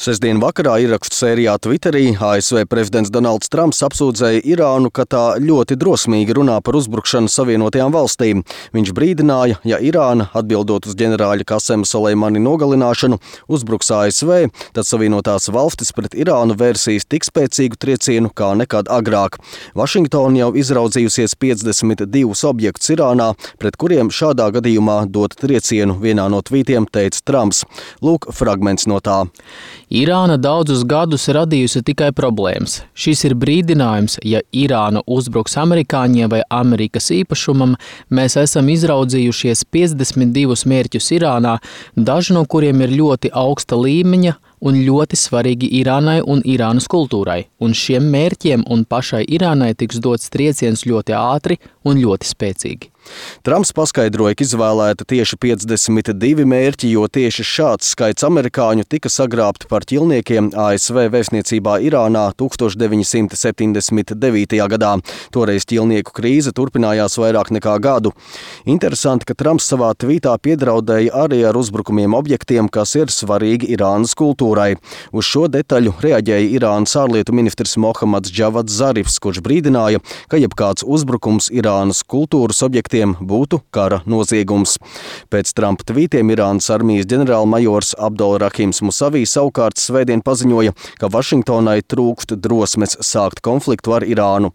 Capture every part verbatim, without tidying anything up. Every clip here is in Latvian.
Sestdien vakarā ierakstu sērijā Twitterī A S V prezidents Donalds Trumps apsūdzēja Irānu, ka tā ļoti drosmīgi runā par uzbrukšanu Savienotajām valstīm. Viņš brīdināja, ja Irāna, atbildot uz ģenerāļa Kasema Soleimani nogalināšanu, uzbruks A S V, tad Savienotās valstis pret Irānu vērsīs tik spēcīgu triecienu kā nekad agrāk. Vašingtona jau izraudzījusies piecdesmit divus objektus Irānā, pret kuriem šādā gadījumā dot triecienu, vienā no tvītiem teica Trumps. Lūk, fragments no tā. Irāna daudzus gadus radījusi tikai problēmas. Šis ir brīdinājums, ja Irāna uzbruks amerikāņiem vai Amerikas īpašumam, mēs esam izraudzījušies piecdesmit divus mērķus Irānā, daži no kuriem ir ļoti augsta līmeņa un ļoti svarīgi Irānai un Irānas kultūrai, un šiem mērķiem un pašai Irānai tiks dots trieciens ļoti ātri un ļoti spēcīgi. Trumps paskaidroja, ka izvēlēta tieši piecdesmit divi mērķi, jo tieši šāds skaits amerikāņu tika sagrābti par ķilniekiem A S V vēstniecībā Irānā tūkstoš deviņi simti septiņdesmit devītajā gadā. Toreiz ķilnieku krīze turpinājās vairāk nekā gadu. Interesanti, ka Trumps savā tvītā piedraudēja arī ar uzbrukumiem objektiem, kas ir svarīgi Irānas kultūrai. Uz šo detaļu reaģēja Irānas ārlietu ministrs Mohammads Džavads Zarifs, kurš brīdināja, ka jebkāds uzbrukums Irānas kultūras objektiem būtu kara noziegums. Pēc Trumpa tvītiem Irānas armijas ģenerālmajors Abdul Rahims Musavī savukārt svētdien paziņoja, ka Vašingtonai trūkst drosmes sākt konfliktu ar Irānu.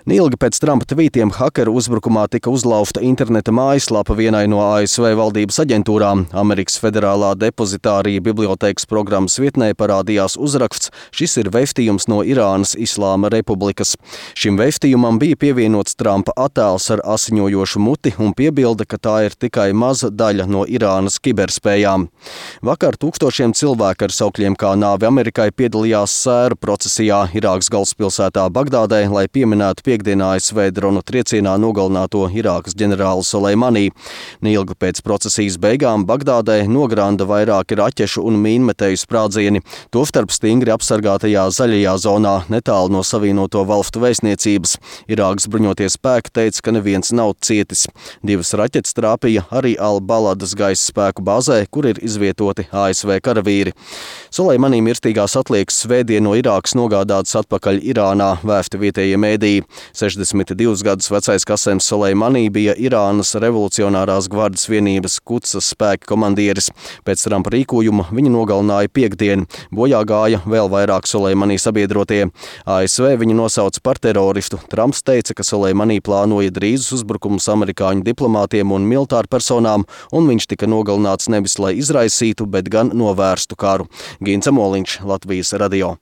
Neilgi pēc Trumpa tvītiem hakeru uzbrukumā tika uzlauzta interneta mājaslapa vienai no A S V valdības aģentūrām. Amerikas Federālā depozitārija bibliotēkas programmas vietnē parādījās uzraksts: šis ir vēstījums no Irānas Islāma Republikas. Šim vēstījumam bija pievienots Trumpa attēls ar asiņojošu muti un piebilde, ka tā ir tikai maza daļa no Irānas kiberspējām. Vakar tūkstošiem cilvēku ar saukļiem kā nāve Amerikai piedalījās sēru procesijā Irākas galvaspilsētā Bagdādē, lai pieminētu piekdienā A S V dronu triecienā nogalināto Irākas ģenerāli Soleimani. Neilgi pēc procesijas beigām Bagdādē nogranda vairāki raķešu un mīnmetēju sprādzieni, tostarp stingri apsargātajā zaļajā zonā netālu no Savienoto valstu vēstniecības. Irākas bruņotie spēki teica, ka neviens nav cietis. Divas raķetes trāpīja arī Al-Baladas gaisa spēku bāzē, kur ir izvietoti A S V karavīri. Soleimani mirstīgās atliekas svētdien no Irākas nogādātas atpakaļ Irānā, vēsti vietējie mēdīji. sešdesmit divus gadus vecais Kasems Soleimani bija Irānas revolucionārās gvardes vienības Kudsas spēka komandieris. Pēc Trumpa rīkojuma viņu nogalināja piekdien. Bojā gāja vēl vairāk Soleimani sabiedrotie. A S V viņu nosauca par teroristu. Trumps teica, ka Soleimani plānoja drīzus uzbrukumus amerikāņu diplomātiem un militāru personām, un viņš tika nogalināts nevis lai izraisītu, bet gan novērstu karu. Gints Amoliņš, Latvijas radio.